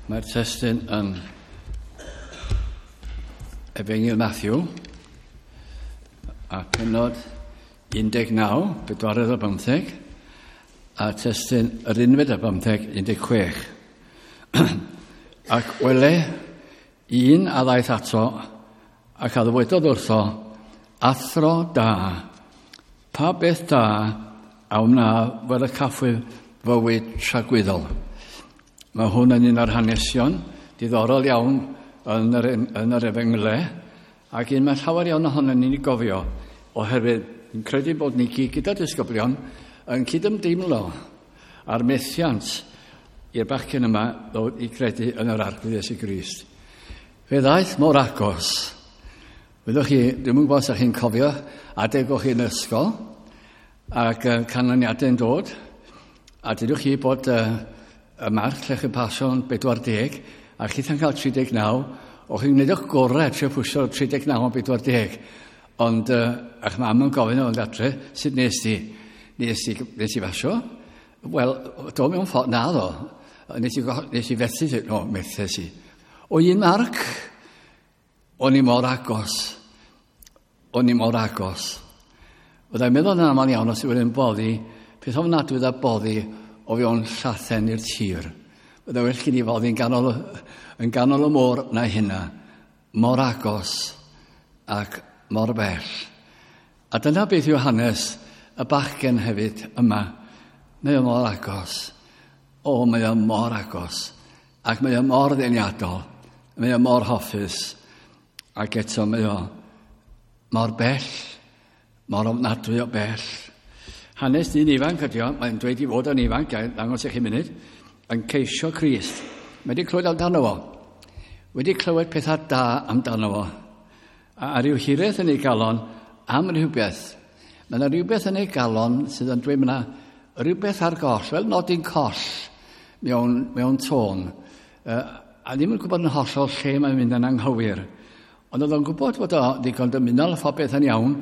Mae'r testun yn Efengyl Matthew a pennod 19, bedwaredd o 15, a testun yr unfed o 15, 16. Ac wele, un a ddaeth ato ac a ddywedodd wrtho, Athro da, pa beth da a wna fel y caffwyf fywyd tragwyddol. Mae hwn yn un o'r hanesion diddorol iawn yn yr, yn yr efengle, ac un mae llawer iawn ohono ni'n ei gofio, oherwydd yn credu bod ni gyd gyda disgyblion yn cydymdeimlo a'r methiant i'r bachgen yma ddod i credu yn yr Arglwydd Iesu Grist. Fe ddaeth mor agos. Wyddwch chi, dwi'm yn gwybod os ydych chi'n cofio adeg o'ch chi'n ysgol, ac canlyniadau'n dod, a dydwch chi bod y marc lle chi'n pasio'n 40, a chitha'n cael 39, o'ch chi'n gwneud eich gorau trio pwysio 39 o'n 40. Ond a'ch mam yn gofyn o'n adre, sut nes ti? Nes ti, nes ti fasio? Wel, do mewn ffordd, na ddo. Nes i, nes i fethu, no, methes i. O un marc, o'n i mor agos. O'n i mor agos. Fyddai'n meddwl yn aml iawn os yw'n boddi, peth ofnadwy a boddi o fewn llathen i'r tir. Byddai well gen i foddi yn ganol, yn ganol y môr na hynna. Mor agos ac mor bell. A dyna beth yw hanes y bachgen hefyd yma. Mae o mor agos. O, mae o mor agos. Ac mae o mor ddeniadol. Mae o mor hoffus. Ac eto mae o mor bell. Mor ofnadwy o bell. Hanes dyn ifanc ydi o, mae'n dweud i fod yn ifanc, gael ddangos i chi munud, yn ceisio Crist. Mae wedi clywed amdano fo. Wedi clywed pethau da amdano fo. A, a rhyw hiraeth yn ei galon am rhywbeth. Mae yna rhywbeth yn ei galon sydd yn dweud mae yna rhywbeth ar goll, fel nodyn coll mewn, mewn tôn. A ddim yn gwybod yn hollol lle mae'n mynd yn anghywir. Ond oedd o'n gwybod fod o ddigon dymunol a phobeth yn iawn,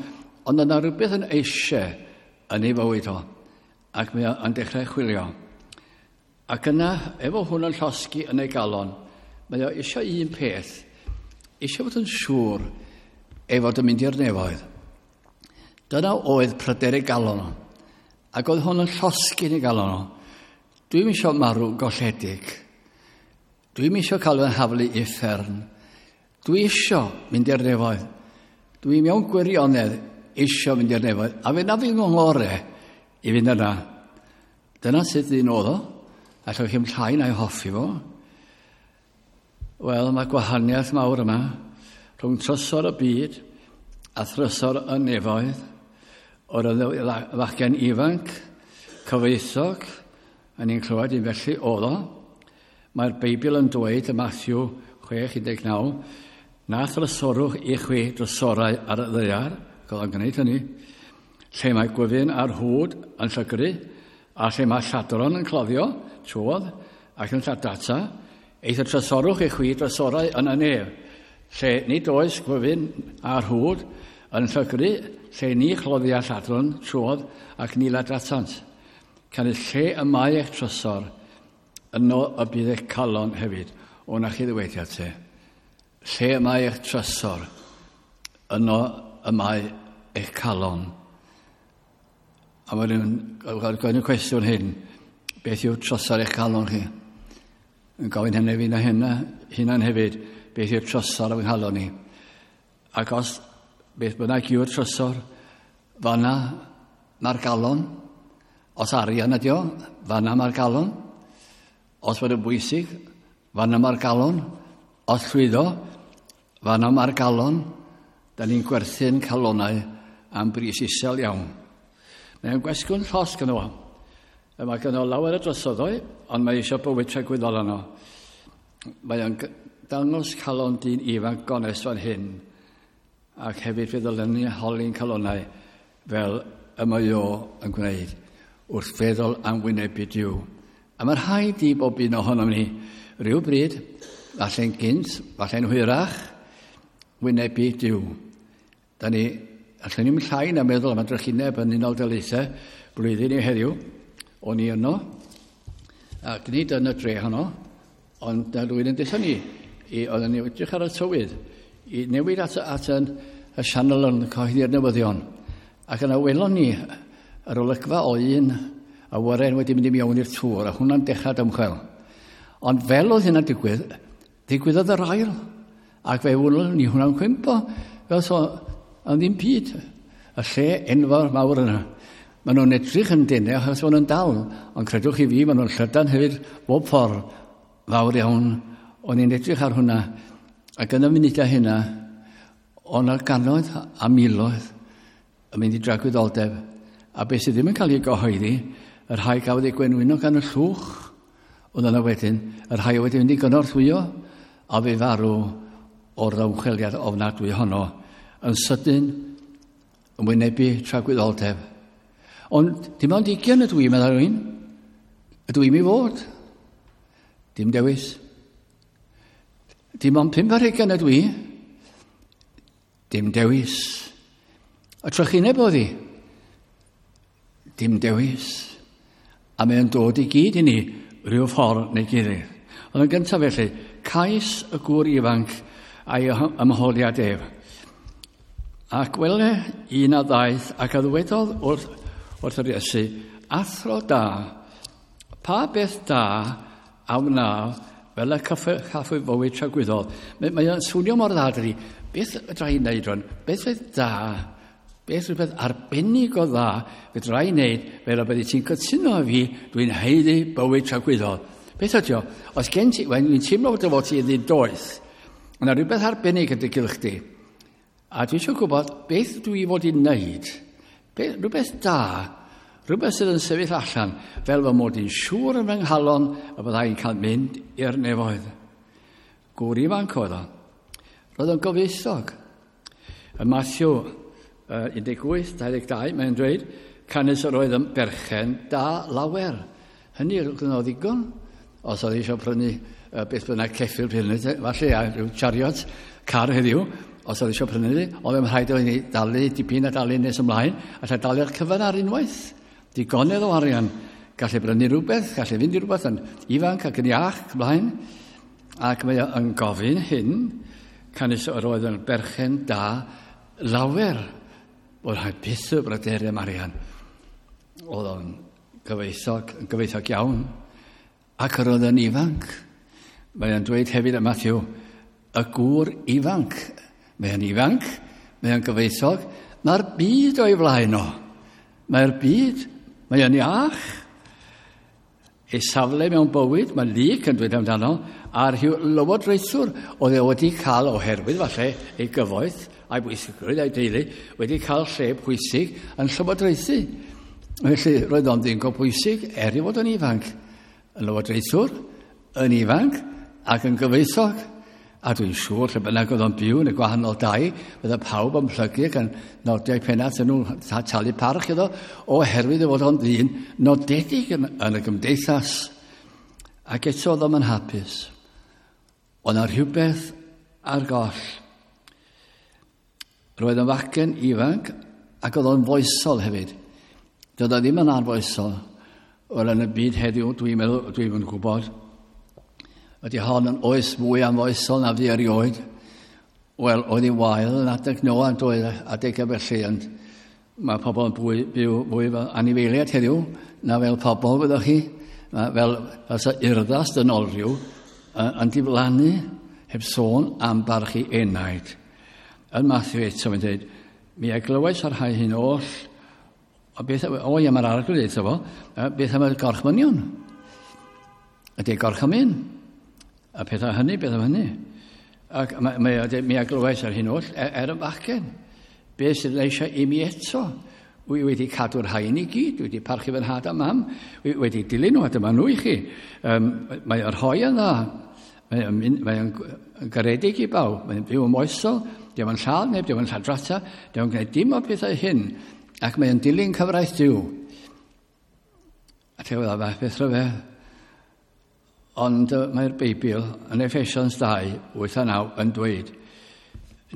ond oedd yna rhywbeth yn eisiau yn ei fywyd o. Ac mae o'n dechrau chwilio. Ac yna, efo hwn yn llosgi yn ei galon, mae o eisiau un peth, eisiau fod yn siŵr ei fod yn mynd i'r nefoedd. Dyna oedd pryder ei galon o. Ac oedd hwn yn llosgi yn ei galon o. Dwi'm eisiau marw golledig. Dwi'm eisiau cael fy nhaflu i uffern. Dwi eisiau mynd i'r nefoedd. Dwi mewn gwirionedd eisiau mynd i'r nefoedd. A fe na fi ngore i fynd yna. Dyna sut ddyn oedd o. Allwch chi'm llai na'i hoffi fo. Wel, mae gwahaniaeth mawr yma rhwng trysor y byd a thrysor y nefoedd. O'r fachgen ifanc, cyfoethog, a ni'n clywed un felly oedd o. Mae'r Beibl yn dweud y Matthew 6:19, na thrysorwch i chwi drysorau ar y ddaear, ac oedd o'n gwneud hynny, lle mae gwyfyn a'r hwd yn llygru, a lle mae lladron yn cloddio, trwodd, ac yn lladata, eithr trysorwch i chwi drysorau yn y nef, lle nid oes gwyfyn a'r hwd yn llygru, lle ni chloddia lladron trwodd ac ni ladratant. Canys lle y mae eich trysor, yno y bydd eich calon hefyd. O, na chi ddywediad te. Lle y mae eich trysor, yno y mae eich calon. A mae rhywun gofyn y cwestiwn hyn, beth yw trysor eich calon chi? Yn gofyn hynny fi na hynna, hunan hefyd, beth yw'r trysor o'n nghalon ni? Ac os beth bynnag yw'r trysor, fanna mae'r galon. Os arian ydi o, fanna mae'r galon. Os bod yn bwysig, fanna mae'r galon. Os llwyddo, fanna mae'r galon. Da ni'n gwerthu'n calonau am bris isel iawn. Mae'n gwestiwn llosg yno fo. Mae gynno lawer o drosoddau, ond mae eisiau bywyd tragwyddol yno. Mae o'n dangos calon dyn ifanc gonest fan hyn, ac hefyd fe ddylen ni holi'n calonau fel y mae o yn gwneud wrth feddwl am wynebu Duw. A mae rhaid i bob un ohonom ni rhyw bryd, falle'n gynt, falle'n hwyrach, wynebu Duw. Da ni, allan ni'n llai na meddwl am y drychineb yn Unol Daleithiau blwyddyn i heddiw. O'n i yno, ac nid yn y dre honno, Ond na rwy'n yn dweud ni, oedden ni edrych ar y tywydd, i newid at y sianel yn cyhoeddi'r newyddion. Ac yna welon ni yr olygfa o un awyren wedi mynd i mewn i'r tŵr, a hwnna'n dechrau dymchwel. Ond fel oedd hynna'n digwydd, digwyddodd yr ail. Ac fe welon ni hwnna'n cwympo, fel so, ond ddim byd. Y lle enfawr mawr yna. Maen nhw'n edrych yn denau achos maen nhw'n dal, ond credwch chi fi, maen nhw'n llydan hefyd bob ffordd fawr iawn. O'n i'n edrych ar hwnna, ac yn y munudau hynna, o'n ar gannoedd a miloedd yn mynd i dragwyddoldeb. A beth sydd ddim yn cael ei gyhoeddi, y rhai gafodd ei gwenwyno gan y llwch, oedd yna wedyn, y rhai wedi mynd i gynorthwyo, a fe farw o'r ddymchweliad ofnadwy honno, yn sydyn, yn wynebu tragwyddoldeb. Ond dim ond 20 ydw i, meddai rhywun. Ydw i'n mi fod. Dim dewis. Dim ond 25 ydw i. Dim dewis. Y trychineb oedd hi. Dim dewis. A mae'n dod i gyd i ni rhyw ffordd neu gilydd. Ond yn gyntaf felly, cais y gŵr ifanc a'i ymholiad ef. Ac wele un a ddaeth ac a ddywedodd wrth yr Iesu, athro da, pa beth da a wna fel y caffwy fywyd tragwyddol. Mae'n swnio mor dda, dydy. Beth fedra i wneud rwan? Beth fydd da? Beth rhywbeth arbennig o dda fedra i wneud fel y byddi ti'n cytuno â fi, dwi'n haeddu bywyd tragwyddol. Beth ydy o? Os gen ti, dwi'n teimlo fod dy fod ti yn doeth, yna rhywbeth arbennig yn dy gylch di. A dwi eisiau gwybod beth dwi fod i wneud. Rhywbeth da, rhywbeth sydd yn sefyll allan, fel fy mod i'n siŵr yn fy nghalon y byddai'n cael mynd i'r nefoedd. Gŵr ifanc oedd o. Roedd o'n gyfoethog. Yn Matthew 18, 22, mae'n dweud, canys yr oedd yn berchen da lawer. Hynny oedd o ddigon. Os oedd eisiau prynu beth bynnag ceffyl prynu, falle a rhyw chariot car heddiw, os oedd eisiau prynu, oedd yn rhaid oedd ni dalu dipyn a dalu nes ymlaen, a lle dalu'r cyfan ar unwaith. Digonedd o arian. Gallu brynu rhywbeth, gallu fynd i rhywbeth yn ifanc ac yn iach ymlaen. Ac mae yn gofyn hyn, canys yr oedd yn berchen da lawer. Oedd rhaid byth y bryderu am arian. Oedd o'n gyfoethog iawn. Ac yr oedd yn ifanc. Mae o'n dweud hefyd y Matthew, y gŵr ifanc. Mae o'n ifanc, mae o'n gyfoethog. Mae'r byd o'i flaen o. Mae'r byd, mae o'n iach. Ei safle mewn bywyd, mae Luc yn dweud amdano, a'r rhyw lywodraethwr oedd e wedi cael oherwydd falle ei gyfoeth a'i bwysigrwydd a'i deulu, wedi cael lle pwysig yn llywodraethu. Felly roedd o'n ddyn go bwysig er i fod yn ifanc. Yn lywodraethwr, yn ifanc ac yn gyfoethog. A dwi'n siŵr lle bynnag oedd o'n byw yn y gwahanol dai, bydde pawb yn plygu ac yn nodiau pennat yn nhw'n talu parch iddo, oherwydd ei fod o'n ddyn nodedig yn y gymdeithas. Ac eto oedd o'n hapus. Oedd yna rhywbeth ar goll. Roedd yn fachgen ifanc ac oedd o'n foesol hefyd. Doedd o ddim yn arfoesol. Wel, yn y byd heddiw, dwi'n meddwl, dwi'n gwybod, ydy hon yn oes mwy amfoesol na fi erioed. Wel, oedd hi'n wael yn adeg Noa yn doedd adeg felly, ond mae pobl yn byw fwy fel anifeiliaid heddiw na fel pobl, fyddwch chi. Mae fel sa urddas dynolryw yn diflannu heb sôn am barchu enaid. Yn Matthew eto mae'n dweud, mi a glywais ar rhai hyn oll, o beth, o ie, mae'r arglwydd eto fo, beth am y gorchmynion? Ydy gorchymyn? A pethau hynny, beth am hynny? Ac mi a glywais ar hyn oll, er y bachgen. Beth sydd eisiau i mi eto? Wy wedi cadw'r rhain i gyd, wedi parchu fy nhad a mam, wedi dilyn nhw, a dyma nhw i chi. Mae yr rhoi yn dda, mae'n garedig i bawb, mae'n byw yn moesol, diolch yn lladd neb, diolch yn lladrata, diolch yn gwneud dim o'r pethau hyn, ac mae'n dilyn cyfraith Duw. A te oedd fath beth rhyfedd. Ond mae'r Beibl yn Ephesians 2, 8 a 9 yn dweud,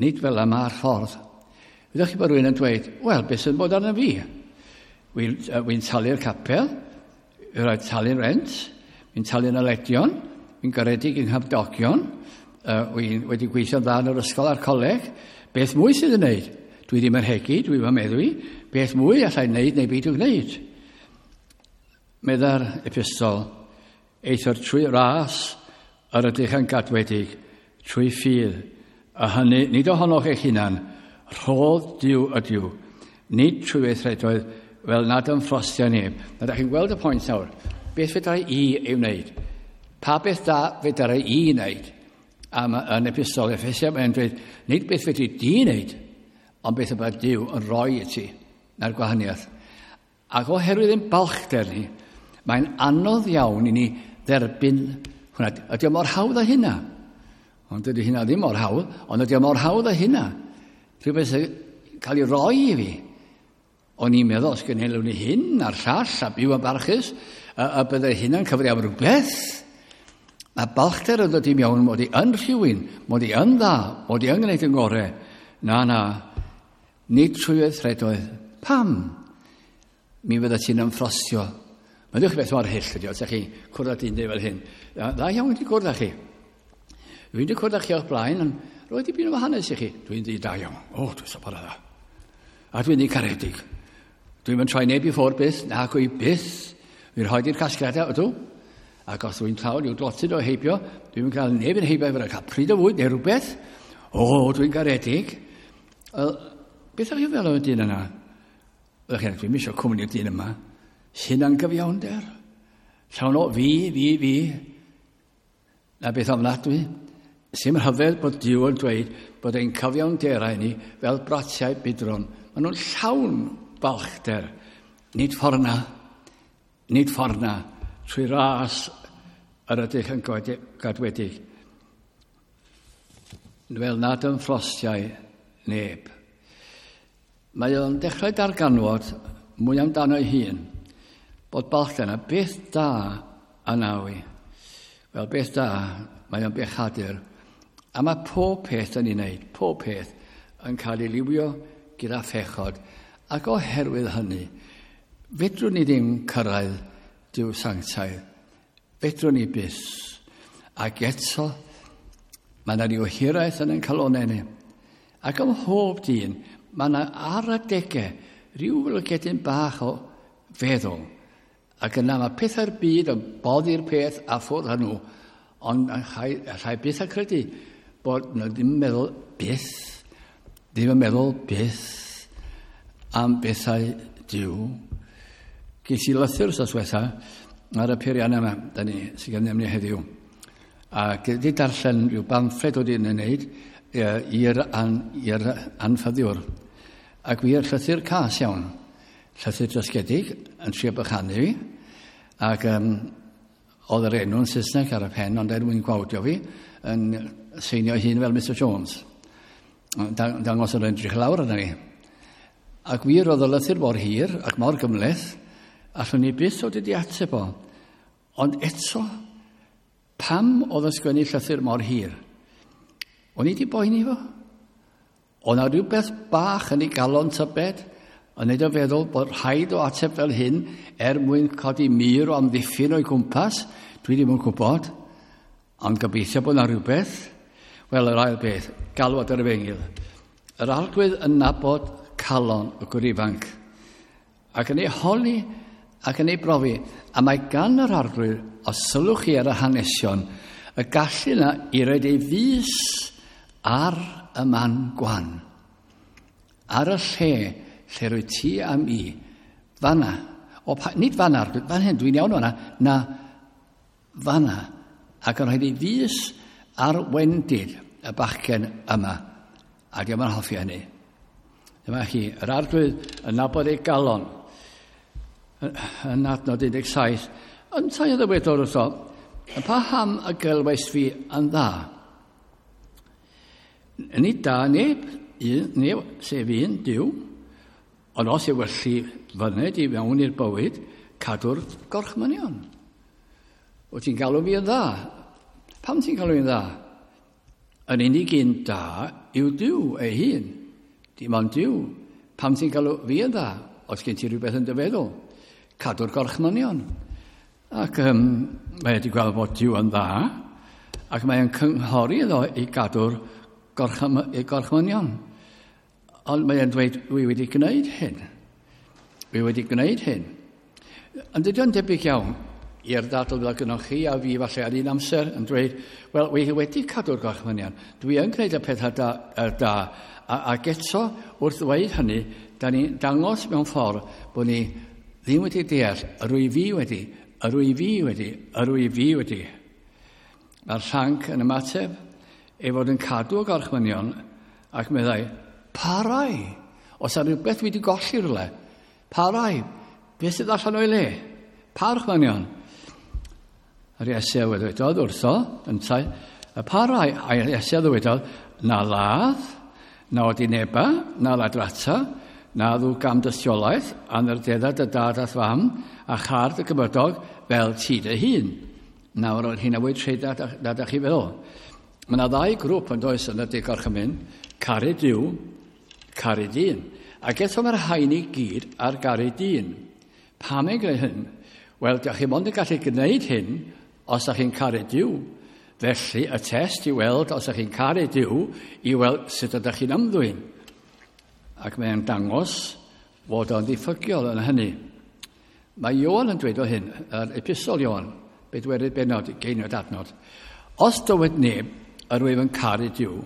nid fel yma ar ffordd. Ydych chi bod rhywun yn dweud, wel, beth sy'n bod arno fi? Wy'n talu'r capel, wy'n rhaid talu'r rent, wy'n talu'n aledion, Wy'n garedig yng nghymdogion, wy'n wedi gweithio'n dda yn yr ysgol a'r coleg. Beth mwy sydd yn wneud? Dwi ddim yn hegu, dwi ddim yn meddwi. Beth mwy allai wneud neu beidio gwneud? Medda'r epistol, eithr trwy ras yr ydych yn gadwedig, trwy ffydd, a hynny nid ohonoch eich hunan, rhodd Duw ydyw, nid trwy weithredoedd fel nad ymffrostio neb. Na, da chi'n gweld y pwynt nawr. Beth fedrai i ei wneud? Pa beth da fedrai i wneud? A yn epistol Effesia mae'n dweud, nid beth fedri di wneud, ond beth y mae Duw yn rhoi i ti, na'r gwahaniaeth. Ac oherwydd ein balchder ni, mae'n anodd iawn i ni dderbyn hwnna. Ydy o mor hawdd â hynna? Ond dydy hynna ddim mor hawdd, ond ydy o mor hawdd â hynna. Rhywbeth sy'n cael ei roi i fi. O'n i'n meddwl, os gynhelwn ni hyn a'r llall a byw yn barchus, a byddai hynna'n cyfri am rhywbeth. Mae balchder yn dod i mewn mod i yn rhywun, mod i yn dda, mod i yn gwneud yn gorau. Na, na, nid trwy weithredoedd. Pam? Mi fydda ti'n ymffrostio. Mae'n ddech beth mor hyll ydi, os ydych chi cwrdd â dyn fel hyn. Dda iawn wedi cwrdd â chi. Dwi'n wedi cwrdd â chi o'ch blaen, ond roedd dipyn o hanes i chi. Dwi'n ddi da iawn. O, dwi'n sobor o dda. A dwi'n ddi caredig. Dwi'n mynd troi neb i ffwrdd byth, na gwy byth. Dwi'n rhoi i'r casgliadau, ydw. Ac os dwi'n llawn i'w dlotyd o heibio, dwi'n cael neb yn heibio efo cael pryd o fwyd neu rhywbeth. O, dwi'n garedig. Wel, beth ydych chi'n fel o'r dyn yna? Ydych chi'n dwi'n eisiau cwmni'r dyn yma. Hunan gyfiawnder. Llawn o fi, fi, fi. Na beth ofnadwy. Sy'n rhyfedd bod Duw yn dweud bod ein cyfiawnderau ni fel bratiau budron. Maen nhw'n llawn balchder. Nid ffordd na, nid ffordd na, trwy ras yr ydych yn gadwedig. Fel nad yn ffrostiau neb. Mae o'n dechrau darganfod mwy amdano ei hun, bod balchder yna, beth da yna wi. Wel, beth da, mae o'n bechadur. A mae pob peth yn ei wneud, pob peth yn cael ei liwio gyda phechod. Ac oherwydd hynny, fedrwn ni ddim cyrraedd Duw sanctaidd. Fedrwn ni byth. Ac eto, mae yna ryw hiraeth yn ein calonau ni. Ac ym mhob dyn, mae yna ar adegau rhyw lygedyn bach o feddwl. Ac yna mae pethau'r byd yn boddi'r peth a ffwrdd â nhw, ond allai byth a credu bod nhw ddim yn meddwl byth, ddim yn meddwl byth am bethau Duw. Ges i lythyr wrth diwetha ar y peiriannau yma, da ni, sydd gennym ni heddiw. A wedi darllen rhyw bamffled oedd yn ei wneud i'r an, anffyddiwr. Ac wir llythyr cas iawn. Llythyr dysgedig yn trio bychanu fi. Ac oedd yr enw'n Saesneg ar y pen, ond er mwyn gwawdio fi, yn seinio hun fel Mr Jones. Dangos yr edrych lawr arna fi. Ac wir oedd y lythyr mor hir ac mor gymhleth, allwn ni byth o wedi ateb o. Ond eto, pam oedd yn sgwennu llythyr mor hir? O'n i wedi boeni fo. Oedd 'na rhywbeth bach yn ei galon tybed, yn neud o feddwl bod rhaid o ateb fel hyn er mwyn codi mur o amddiffyn o'i gwmpas. Dwi ddim yn gwybod, ond gobeithio bod 'na rhywbeth. Wel, yr ail beth, galwad yr efengyl. Yr Arglwydd yn nabod calon y gwr ifanc, ac yn ei holi ac yn ei brofi. A mae gan yr Arglwydd, os sylwch chi ar y hanesion, y gallu yna i roed ei fys ar y man gwan. Ar y lle, lle rwy ti am i, fanna. O, pa, nid fanna, Arglwydd, fan hyn, dwi'n iawn fanna, na, fanna. Ac yn rhaid ei fys ar wendid y bachgen yma. A diolch yn hoffi hynny. Dyma chi, yr Arglwydd yn nabod ei galon. Yn adnod 17, yntau a ddywedodd wrtho, paham y gelwais fi yn dda? Nid da neb, un, neb, sef un, Duw, ond os yw felly fyned i mewn i'r bywyd, cadw'r gorchmynion. Wyt ti'n galw fi yn dda? Pam ti'n galw fi'n dda? Yn unig un da yw Duw ei hun. Dim ond Duw. Pam ti'n galw fi yn dda? Os gen ti rhywbeth yn dy feddwl. Cadw'r gorchmynion. Ac mae wedi gweld bod Duw yn dda. Ac mae'n cynghori iddo i gadw'r gorchmynion. Ond mae'n dweud, dwi wedi gwneud hyn. Dwi wedi gwneud hyn. Ond dydy o'n debyg iawn i'r ddadl fel gynnwch chi a fi falle ar un amser yn dweud, wel, wi wedi cadw'r gorchmynion. Dwi yn gwneud y pethau da, da. Ac eto, wrth ddweud hynny, da ni'n dangos mewn ffordd bod ni ddim wedi deall, yr wyf fi wedi, yr wyf fi wedi, yr wyf fi wedi. Mae'r llanc yn ymateb ei fod yn cadw y gorchmynion ac meddai, parai, os ar rhywbeth wedi golli rhywle, parai, beth sydd allan o'i le? Pa orchmynion? Yr Iesu a ddywedodd wrtho, yntau, y parai, a Iesu a ddywedodd, na ladd, na odineba, na ladrata, na ddw gam dystiolaeth, anrdedda dy dad a'th fam, a char dy gymydog fel ti dy hun. Nawr, oedd hynna fwy treda na da chi feddwl. Mae yna ddau grŵp yn does yn y Deg Gorchymyn, caru Duw, caru dyn. Ac eto mae'r haen i gyd ar garu dyn. Pam ei gwneud hyn? Wel, da chi mond yn gallu gwneud hyn os ydych chi'n caru Duw. Felly, y test i weld os ydych chi'n caru Duw, i weld sut ydych chi'n ymddwyn. Ac mae'n dangos fod o'n ddiffygiol yn hynny. Mae Ioan yn dweud o hyn, yr epistol Ioan, bedwerydd bennod, geiniod adnod. Os dywed neb, yr wyf yn caru Duw,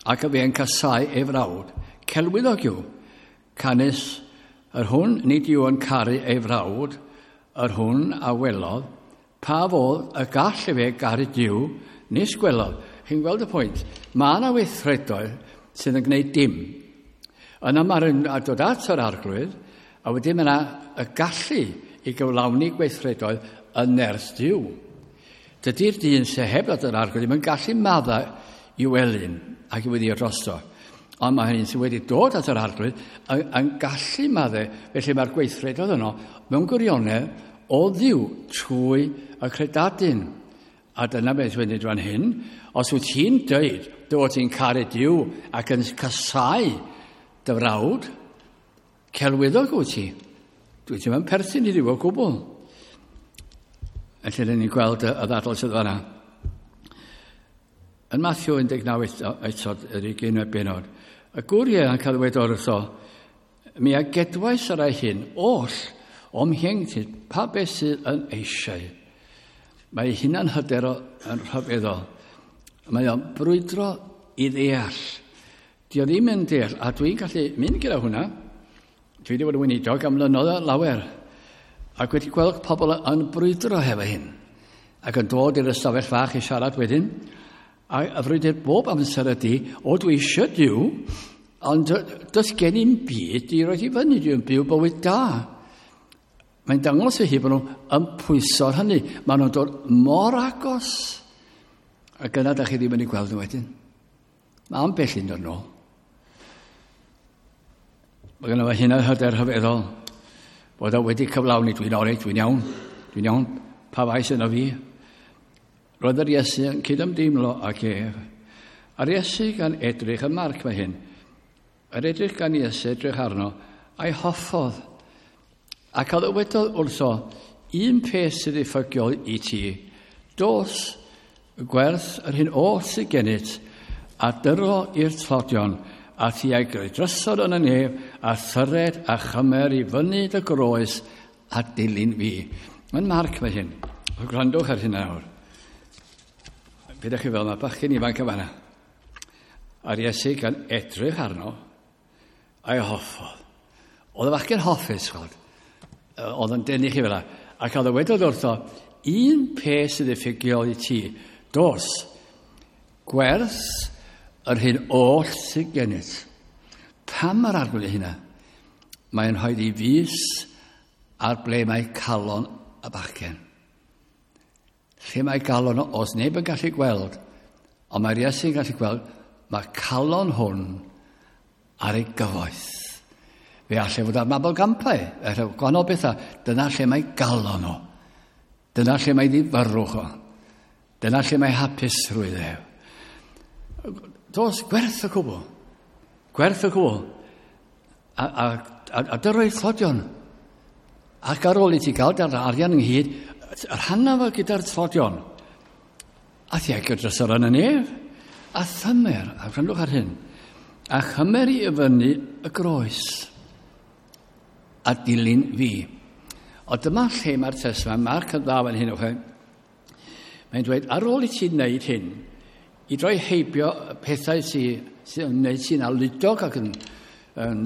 ac y fe yn casau ei frawd, celwyddog yw, canys yr hwn nid yw yn caru ei frawd, yr hwn a welodd, pa fodd y gall efe garu Duw, nis gwelodd. Chi'n gweld y pwynt? Mae yna weithredoedd sydd yn gwneud dim. Yna mae'r dod at yr arglwydd, a wedyn mae yna y gallu i gyflawni gweithredoedd yn nerth Duw. Dydy'r dyn sy'n heb ddod yr arglwydd ddim yn gallu madda i welyn ac i weddio drosto. Ond mae hynny sydd wedi dod at yr arglwydd yn gallu maddau, felly mae'r gweithredoedd yno mewn gwirionedd o Dduw trwy y credadun. A dyna beth sy'n mynd fan hyn. Os wyt ti'n dweud dy fod ti'n caru Duw ac yn casau dy frawd, celwyddog wyt ti. Dwi ddim yn perthyn i Dduw o gwbl. Felly, ni'n gweld y ddadl sydd fanna. Yn Matthew 19 eto, yr 20 benod, y gŵr ieuanc a ddywedodd wrtho, mi a gedwais yr rai hyn oll o'm hieuenctid, pa beth sydd yn eisiau. Mae ei hunan hyder yn rhyfeddol. Mae o'n brwydro i ddeall. Di o ddim yn deall, a dwi'n gallu mynd gyda hwnna. Dwi wedi bod yn weinidog am flynyddoedd lawer, ac wedi gweld pobl yn brwydro hefo hyn, ac yn dod i'r ystafell fach i siarad wedyn, a y frwydr bob amser ydy, o dwi eisiau Duw, ond does gen i'm byd i roi i fyny, dwi'n byw bywyd da. Mae'n dangos i hi bod nhw yn pwyso ar hynny. Maen nhw'n dod mor agos. Ac yna da chi ddim yn ei gweld nhw wedyn. Mae ambell un dod nôl. Mae gynno fo hynna hyder rhyfeddol. Bod o wedi cyflawni, dwi'n oreit, dwi'n iawn, dwi'n iawn, pa faes yno fi. Roedd yr Iesu yn cydymdeimlo ag ef. A'r Iesu gan edrych yn Marc mae hyn. Yr edrych gan Iesu edrych arno, a'i hoffodd. Ac a ddywedodd wrtho, un peth sydd ddiffygiol i ti, dos, gwerth yr hyn oll sydd gennyt, a dyro i'r tlodion, a ti a'i greu drysor yn y nef, a thyred a chymer i fyny dy groes, a dilyn fi. Mae'n Marc mae hyn. Gwrandwch ar hyn nawr. Be ydych chi fel mae bachgen ifanc yn fanna. A'r Iesu gan edrych arno, a'i hoffodd. Oedd y bachgen hoffus, chwod. Oedd yn denu chi fel 'na. Ac a ddywedodd wrtho, un peth sydd ddiffygiol i ti, dos, gwerth yr hyn oll sydd gennyt. Pam mae'r arglwydd hynna? Mae'n rhoi i fys ar ble mae calon y bachgen. Lle mae galon o, os neb yn gallu gweld, ond mae'r Iesu'n gallu gweld, mae calon hwn ar ei gyfoeth. Fe allai fod ar mabolgampau, allai gwahanol bethau. Dyna lle mae galon o. Dyna lle mae ddifyrrwch o. Dyna lle mae hapusrwydd e. Dos, gwerth y cwbl. Gwerth y cwbl. A dyrro'i tlodion. Ac ar ôl i ti gael da'r arian ynghyd, rhanna fo gyda'r tlodion. A thiagio dros yr yn y nef. A thymer, a gwrandwch ar hyn, a chymer i fyny y groes a dilyn fi. O dyma lle mae'r test yma, Mark yn dda fan hyn, okay? Mae'n dweud, ar ôl i ti wneud hyn, i droi heibio pethau sy'n sy yn wneud sy'n aludog ac yn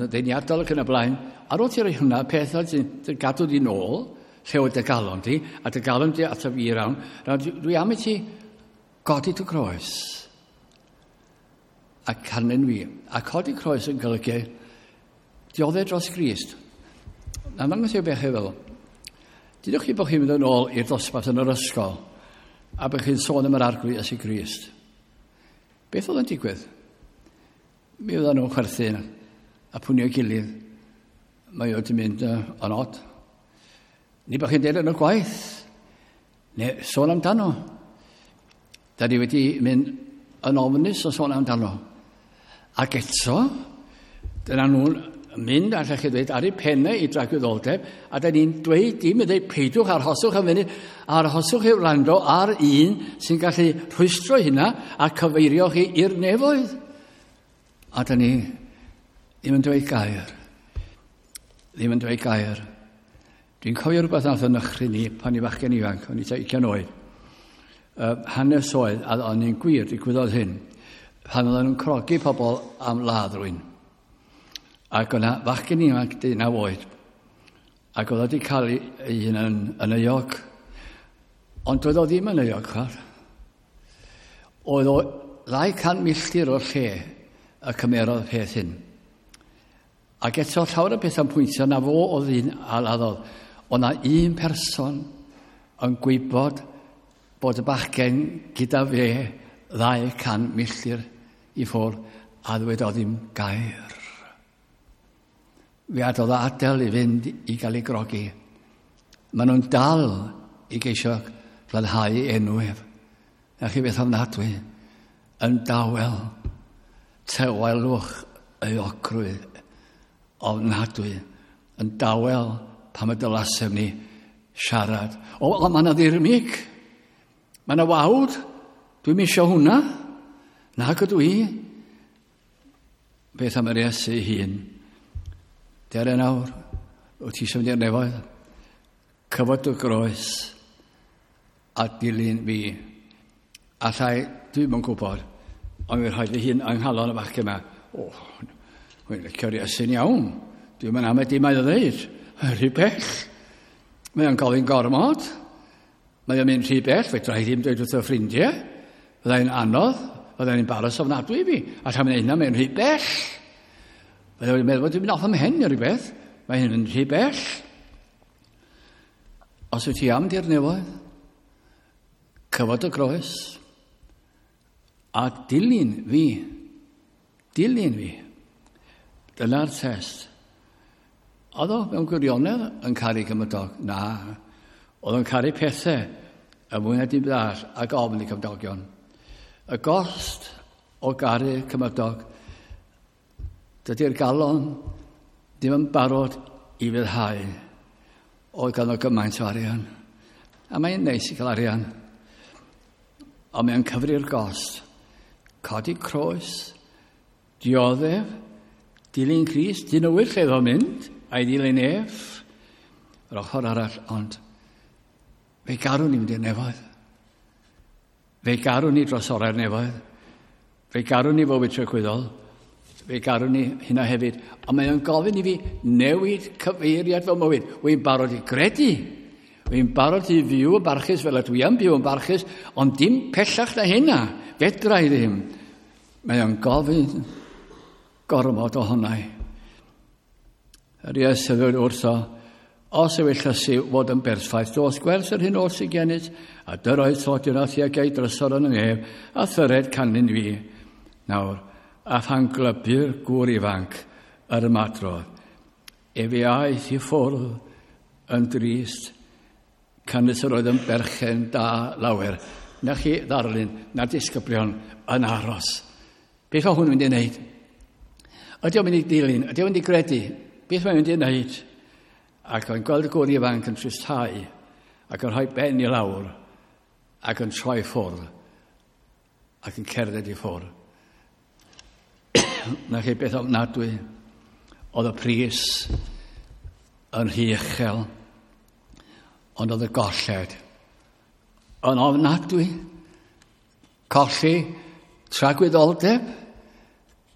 ddeniadol ac yn y blaen, ar ôl ti roi hwnna, pethau sy'n gadw di nôl, lle oedd dy galon di, a dy galon di ato fi rawn, dwi am i ti godi dy groes a canlyn fi. A codi croes yn golygu dioddef dros Grist. Na, mae'n gwybod beth chi'n feddwl. Dydwch chi bod chi'n mynd yn ôl i'r dosbarth yn yr ysgol a bod chi'n sôn am yr arglwydd Iesu Grist. Beth oedd yn digwydd? Mi oedden nhw'n chwerthin a pwnio gilydd. Mae o wedi mynd yn od. Ni bod chi'n deud yn y gwaith. Neu sôn amdano. Da ni wedi mynd yn ofnus o sôn amdano. Ac eto, dyna nhw'n mynd, allech chi ddweud, ar eu pennau i dragwyddoldeb, a da ni'n dweud dim yn dweud, peidiwch, arhoswch am funud, arhoswch i wrando ar un sy'n gallu rhwystro hynna a cyfeirio chi i'r nefoedd. A da ni ddim yn dweud gair. Ddim yn dweud gair. Dwi'n cofio rhywbeth nath yn nychry ni pan i fachgen ifanc, o'n i tua 20 oed. Hanes oedd, a o'n i'n gwir, digwyddodd hyn, pan oedden nhw'n crogi pobl am ladd rhywun. Ac o'na fachgen ifanc 19 oed, ac oedd wedi cael ei hun yn euog. Ond doedd o ddim yn euog, chwar. Oedd o 200 milltir o'r lle y cymerodd peth hyn. Ac eto llawer o bethau'n pwyntio na fo oedd un a laddodd. Oedd na un person yn gwybod bod y bachgen gyda fe 200 milltir i ffwrdd a ddwedodd ddim gair. Fe adodd adael i fynd i gael ei grogi. Maen nhw'n dal i geisio glanhau enw ef. Na chi beth ofnadwy. Yn dawel, tawelwch euogrwydd ofnadwy. Yn dawel pam y dylasem ni siarad. O, o mae yna ddirmyg. Mae yna wawd. Dwi'm isio hwnna. Nag ydw i. Beth am yr Iesu ei hun? Dere nawr, wyt ti eisiau mynd i'r nefoedd? Cyfod dy groes a dilyn fi. Allai, dwi'm yn gwybod, ond mi'n rhoi fy hun yng nghalon y bachgen yma. O, wy'n licio'r Iesu'n iawn. Dwi'm yn amau dim mae o ddeud. Rhy bell. Mae o'n gofyn gormod. Mae o'n mynd rhy bell, fedra i ddim dweud wrth y ffrindiau. Fyddai'n anodd, fyddai'n embarrass ofnadwy i fi. A llawn mynd hynna, mae'n rhy bell. Fyddai'n meddwl bod dwi'n mynd off am hen neu rhywbeth. Mae hyn yn rhy bell. Os wyt ti am di'r nefoedd, cyfod y groes a dilyn fi. Dilyn fi. Dyna'r test. Oedd o mewn gwirionedd yn caru cymydog? Na. Oedd o'n caru pethau y mwy na dim byd arall ac ofn i cymdogion. Y gost o garu cymydog, dydy'r galon ddim yn barod i fyddhau. Oedd ganddo gymaint o arian. A mae'n neis i gael arian. Ond mae'n cyfri'r gost. Codi croes, dioddef, dilyn Crist, dyn nhw lle oedd o'n mynd, a'i ddilyn ef, yr ochr arall, ond fe garwn ni mynd i'r nefoedd. Fe garwn ni dros orau'r nefoedd. Fe garwn ni fywyd tragwyddol. Fe garwn ni hynna hefyd. Ond mae o'n gofyn i fi newid cyfeiriad fy mywyd. Wy'n barod i gredu. Wy'n barod i fyw yn barchus fel ydw i am byw yn barchus, ond dim pellach na hynna. Fedra i ddim. Mae o'n gofyn gormod ohonau. Yr Iesu ddweud wrtho, os yw yllysu fod yn berffaith, dos gwers yr hyn oll sydd gennyt, a dyroedd tlodion a thuag ei drysor yn y nef, a thyred canlyn fi. Nawr, a phan glybu'r gŵr ifanc yr ymadrodd, efe aeth i ffwrdd yn drist, canys yr oedd yn berchen da lawer. Na chi ddarlun, na disgyblion yn aros. Beth mae hwn yn mynd i wneud? Ydy o'n mynd i dilyn? Ydy o'n mynd i gredu? Beth mae'n mynd i wneud? Ac o'n gweld y gŵr ifanc yn tristhau, ac yn rhoi ben i lawr, ac yn troi ffwrdd Ac yn cerdded i ffwrdd. Na chi beth ofnadwy. Oedd y pris yn rhy uchel, ond oedd y golled yn ofnadwy. Colli tragwyddoldeb,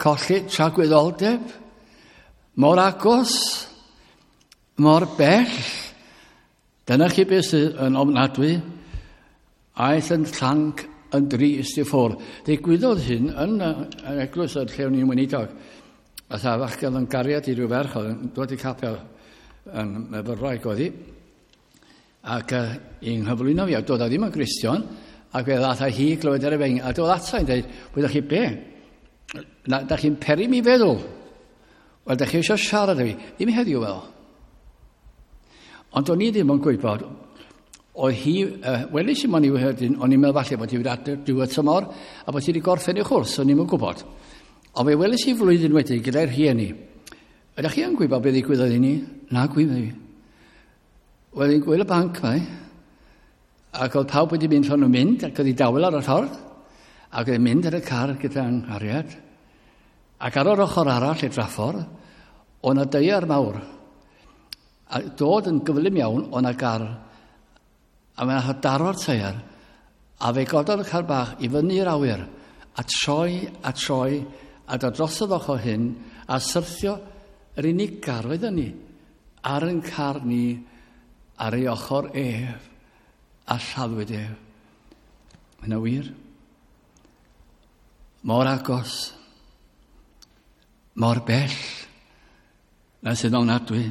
colli tragwyddoldeb, mor agos, mor bell. Dyna chi beth sydd yn ofnadwy. Aeth yn llanc yn drist i ffwrdd. Digwyddodd hyn yn yr eglwys yr lle o'n i'n weinidog. A tha fachgen yn gariad i ryw ferch oedd yn dod i capel yn myfyrwraig oedd hi. Ac i'n nghyflwyno fi, a dod a ddim yn Gristion, ac fe ddath hi glywed ar y feng, a dod ata i'n dweud, wyddoch chi be? Na, da chi'n peri mi feddwl. Wel, da chi eisiau siarad â fi. Ddim heddiw fel. Ond o'n i ddim yn gwybod. Oedd hi, welis i mo'n i wedyn, o'n i'n meddwl falle bod hi wedi adeg diwedd tymor, a bod hi wedi gorffen ei chwrs, o'n i'n gwybod. Ond fe welis i flwyddyn wedyn gyda'r rhieni. Ydych chi yn gwybod beth ddigwyddodd i ni? Na, gwybod fi. Wel, i'n gwyl y banc mae, ac oedd pawb wedi mynd rhan nhw'n mynd, ac oedd hi dawel ar y ffordd, ac oedd hi'n mynd ar y car gyda'n nghariad. Ac ar yr ochr arall i'r draffordd, oedd 'na deiar mawr. A dod yn gyflym iawn, oedd 'na gar, a mae'n daro'r teiar, a fe gododd y car bach i fyny i'r awyr, a troi, a troi, a dod drosodd ochr hyn, a syrthio yr unig gar oedd ni, ar yn car ni, ar ei ochr ef, a lladdwyd ef. Yna wir. Mor agos, mor bell, na sydd ofnadwy.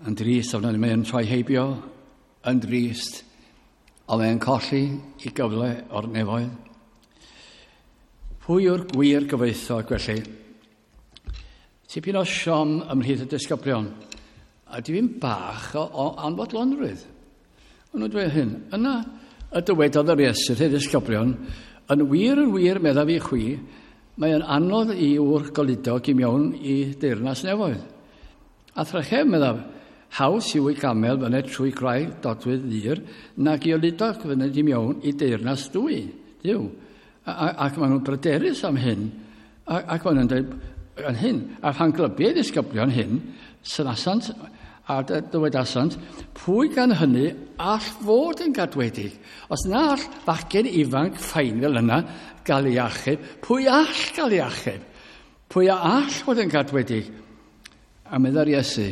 Yn drist, ofnadwy, mae'n troi heibio, yn drist, ond mae'n colli i gyfle o'r nefoedd. Pwy yw'r gwir gyfoethog felly? Tipyn o siom ymhlith y disgyblion, a dipyn bach o anfodlonrwydd. Ond nhw'n dweud hyn, yna y dywedodd yr Iesu wrth ei ddisgyblion, yn wir yn wir meddaf i chwi, mae'n anodd i ŵr goludog i mewn i deyrnas nefoedd. A thrachef, meddaf, haws yw i gamel fyned trwy graig dodwydd ddur, nag i oludog fyned i mewn i deyrnas dwy, Duw. Ac maen nhw'n bryderus am hyn, ac maen nhw'n dweud yn hyn. A phan glybu ei ddisgyblion hyn, synasant a dywedasant, pwy gan hynny all fod yn gadwedig? Os na all fachgen ifanc ffain fel yna gael ei achub, pwy all gael ei achub? Pwy a all fod yn gadwedig? A meddai'r Iesu,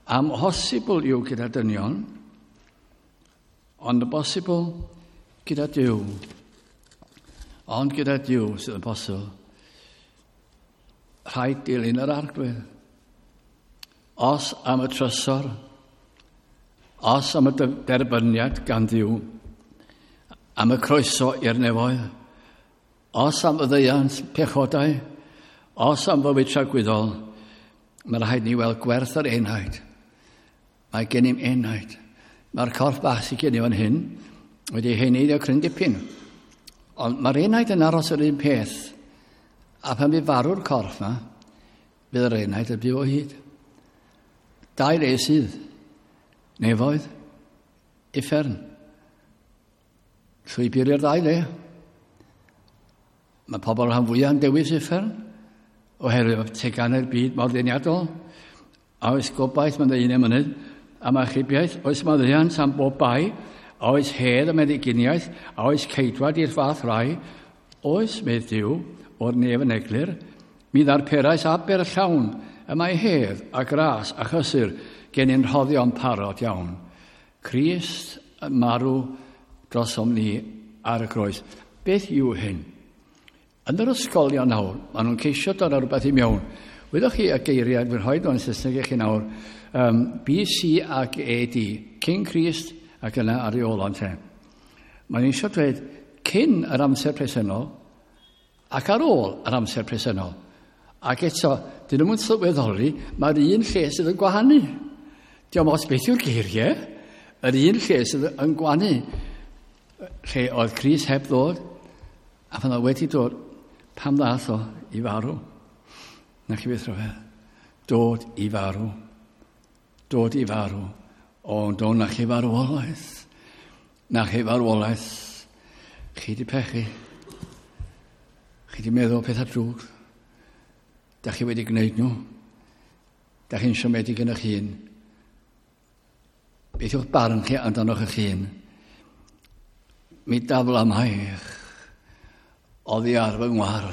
amhosibl yw gyda dynion, ond y bosibl gyda Duw. Ond gyda Duw sydd yn bosibl. Rhaid dilyn yr Arglwydd. Os am y trysor, os am y derbyniad gan Dduw, am y croeso i'r nefoedd, os am y ddeiant pechodau, os am fywyd tragwyddol, mae rhaid ni weld gwerth yr enaid. Mae gennym enaid. Mae'r corff bach sydd gennym fan hyn wedi heneiddio cryn dipyn. Ond mae'r enaid yn aros yr un peth. A pan fydd farw'r corff yma, bydd yr enaid yn byw o hyd. Dau le sydd. Nefoedd, uffern. Llwybr i'r ddau le. Mae pobl rhan fwyaf yn dewis uffern, oherwydd mae teganau'r byd mor ddeniadol. A oes gobaith mae'n dweud un emynydd, am achubiaeth, oes maddeuant am bob bai, a oes hedd am meddyginiaeth, a oes ceidwad i'r fath rai, oes, medd Duw, o'r nef yn eglur, mi ddarperais aber llawn, y mae hedd a gras a chysur gen i'n rhoddion parod iawn. Crist yn marw drosom ni ar y groes. Beth yw hyn? Yn yr ysgolion nawr, maen nhw'n ceisio dod â rhywbeth i mewn. Wyddoch chi y geiriau, dwi'n rhoi nhw'n Saesneg i chi nawr, BC ac AD, cyn Crist ac yna ar ei ôl o'n te. Mae'n eisiau dweud cyn yr amser presennol ac ar ôl yr amser presennol. Ac eto, dyn nhw'n sylweddoli, mae'r un lle sydd yn gwahanu. Diolch os beth yw'r geiriau, yr un lle sydd yn gwahanu. Lle oedd Crist heb ddod, a pan oedd wedi dod, pam ddath o i farw? Na chi beth rhyfedd. Dod i farw. Dod i farw. O, do, na chi farwolaeth. Na chi farwolaeth. Chi di pechu. Chi di meddwl pethau drwg. Da chi wedi gwneud nhw. Da chi'n siomedig yn eich hun. Beth yw'ch barn chi amdanoch eich hun? Mi dafla maich oddi ar fy ngwar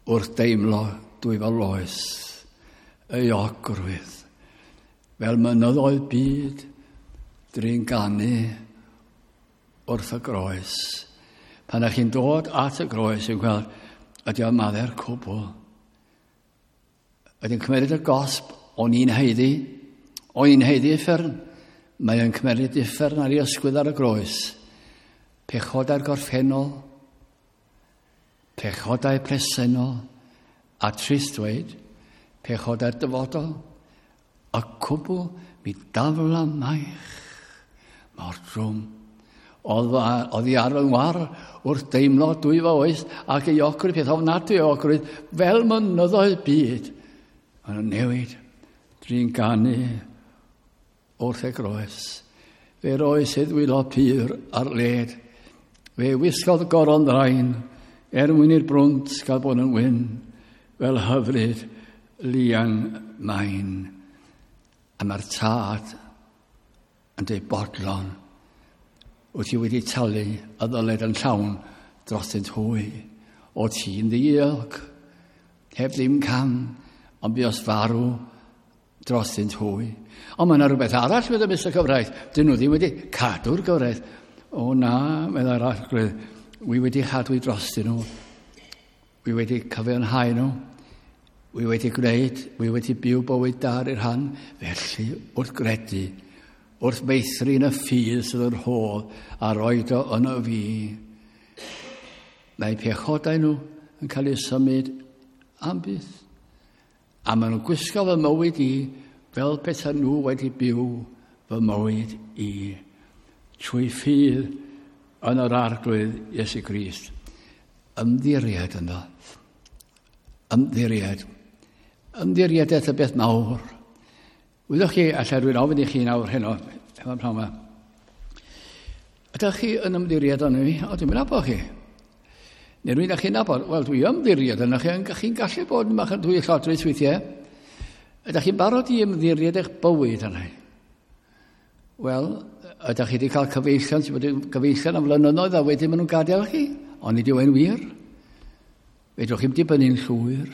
wrth deimlo dwyfol loes euogrwydd fel mynyddoedd byd drin ganu wrth y groes. Pan ych chi'n dod at y groes yn gweld ydy o'n maddau'r cwbl. Ydy'n cymeryd y gosb o'n i'n haeddu, o'n i'n haeddu uffern. Mae o'n cymeryd uffern ar ei ysgwydd ar y groes. Pechodau'r gorffennol, pechodau presennol, a trist dweud, pechodau'r dyfodol, y cwbl mi dafla maich mor drwm. Oedd i ar fy ngwar wrth deimlo dwyfo oes ac euogrwydd, peth ofnadwy o euogrwydd, fel mynyddoedd byd. Maen nhw'n newid drin ganu wrth y groes. Fe roes ei ddwylo pur ar led. Fe wisgodd goron ddrain er mwyn i'r brwnt gael bod yn wyn, fel hyfryd lian main. A mae'r tad yn dweud bodlon, wyt ti wedi talu y ddyled yn llawn drostynt hwy. O ti'n ddiog, heb ddim cam, ond buos farw drostynt hwy. Ond mae yna rhywbeth arall meddai Mr Cyfraith. Dyn nhw ddim wedi cadw'r gyfraith. O na, meddai'r Arglwydd, wi wedi chadw i drostyn nhw. Wi wedi cyfiawnhau nhw. Wi wedi gwneud, wi wedi byw bywyd da ar eu rhan. Felly, wrth gredu, wrth meithrin y ffydd sydd yn rhodd a roed o yno fi, mae pechodau nhw yn cael eu symud am byth. A maen nhw'n gwisgo fy mywyd i fel pethau nhw wedi byw fy mywyd i. Trwy ffydd yn yr Arglwydd Iesu Grist. Ymddiried ynddo. Ymddiried. Ymddiriedaeth y beth mawr. Wyddoch chi, allai rwy'n ofyn i chi nawr heno, hefo'r pnawn yma. Ydych chi yn ymddiried yno fi? O, dwi'n nabod chi. Neu rwy'n â chi'n nabod? Wel, dwi ymddiried yno chi, chi'n gallu bod yn bach yn dwy llodrus weithiau. Ydych chi'n barod i ymddiried eich bywyd yna? Wel, ydych chi wedi cael cyfeillion sydd wedi gyfeillion am flynyddoedd a wedyn maen nhw'n gadael chi? Ond nid yw e'n wir. Fedrwch chi'm dibynnu'n llwyr.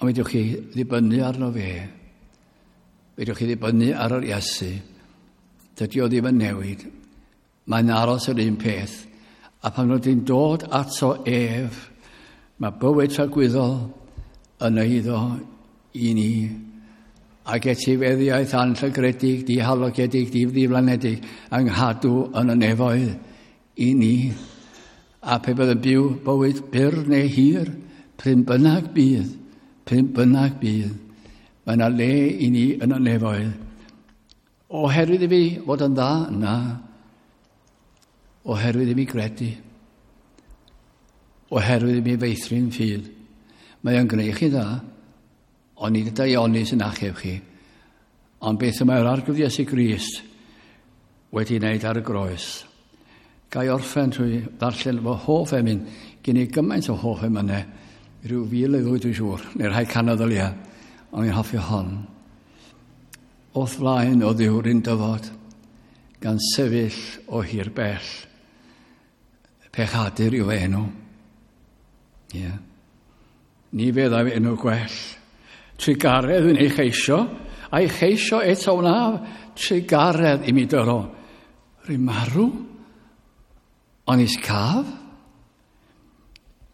Ond fedrwch chi ddibynnu arno fe. Fedrwch chi ddibynnu ar yr Iesu. Dydy o ddim yn newid. Mae'n aros yr un peth. A pan rydyn ni'n dod ato ef, mae bywyd tragwyddol yn eiddo i ni. Ac etifeddiaeth anllygredig, dihalogedig, diflanedig, yng nghadw yn y nefoedd i ni. A pe bydd yn byw bywyd byr neu hir, pryn bynnag bydd, pryn bynnag bydd, mae yna le i ni yn y nefoedd. Oherwydd i fi fod yn dda, na. Oherwydd i mi gredu. Oherwydd i mi feithrin ffydd. Mae o'n gwneud chi dda, ond nid y daioni sy'n achub chi. Ond beth y mae'r Arglwydd Iesu Grist wedi wneud ar y groes. Ga i orffen trwy ddarllen fy hoff emyn, gen i gymaint o hoff emynau, rhyw fil neu ddwy dwi'n siŵr, neu rhai canoedd o leia, ond i'n hoffi hon. O'th flaen o Dduw rwy'n dyfod, gan sefyll o hir bell. Pechadur yw enw. Ie. Yeah. Ni feddaf enw gwell. Trugaredd wy'n ei cheisio, a'i cheisio eto wnaf, trugaredd i mi dyro. Rwy'n marw, ond is caf.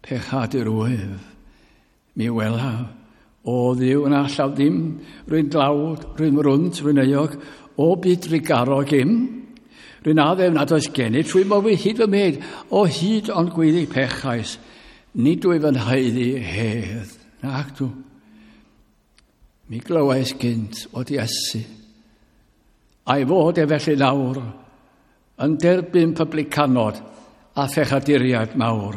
Pechadur wyf, mi welaf. O Dduw na allaf ddim, rwy'n dlawd, rwy'n rwnt, rwy'n euog, o byd drugarog im. Rwy'n addef nad oes gennyf trwy mywyd hyd fy myd, o hyd ond gweiddi pechais, nid wyf yn haeddu hedd. Nac dw. Mi glywais gynt fod Iesu, a'i fod e felly nawr, yn derbyn publicanod a phechaduriaid mawr.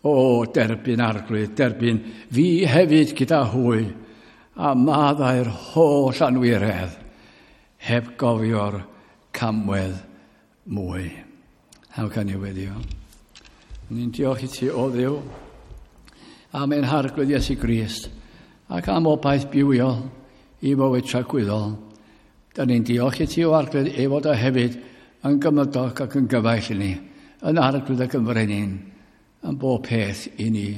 O, derbyn Arglwydd, derbyn fi hefyd gyda hwy, a maddau'r holl anwiredd, heb gofio'r camwedd mwy. How can you weddio? Ni'n diolch i ti, o Dduw, am ein harglwydd Iesu Grist, ac am obaith bywiol i fywyd tragwyddol. Da ni'n diolch i ti o arglwydd ei fod o hefyd yn gymydog ac yn gyfaill i ni, yn arglwydd ac yn frenin, yn bob peth i ni,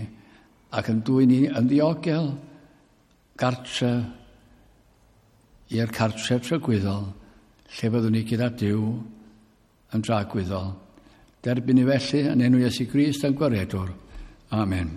ac yn dwyn ni yn ddiogel gartref i'r cartref tragwyddol, lle fyddwn ni gyda Duw yn dragwyddol. Derbyn ni felly yn enw Iesu Grist yn gwaredwr. Amen.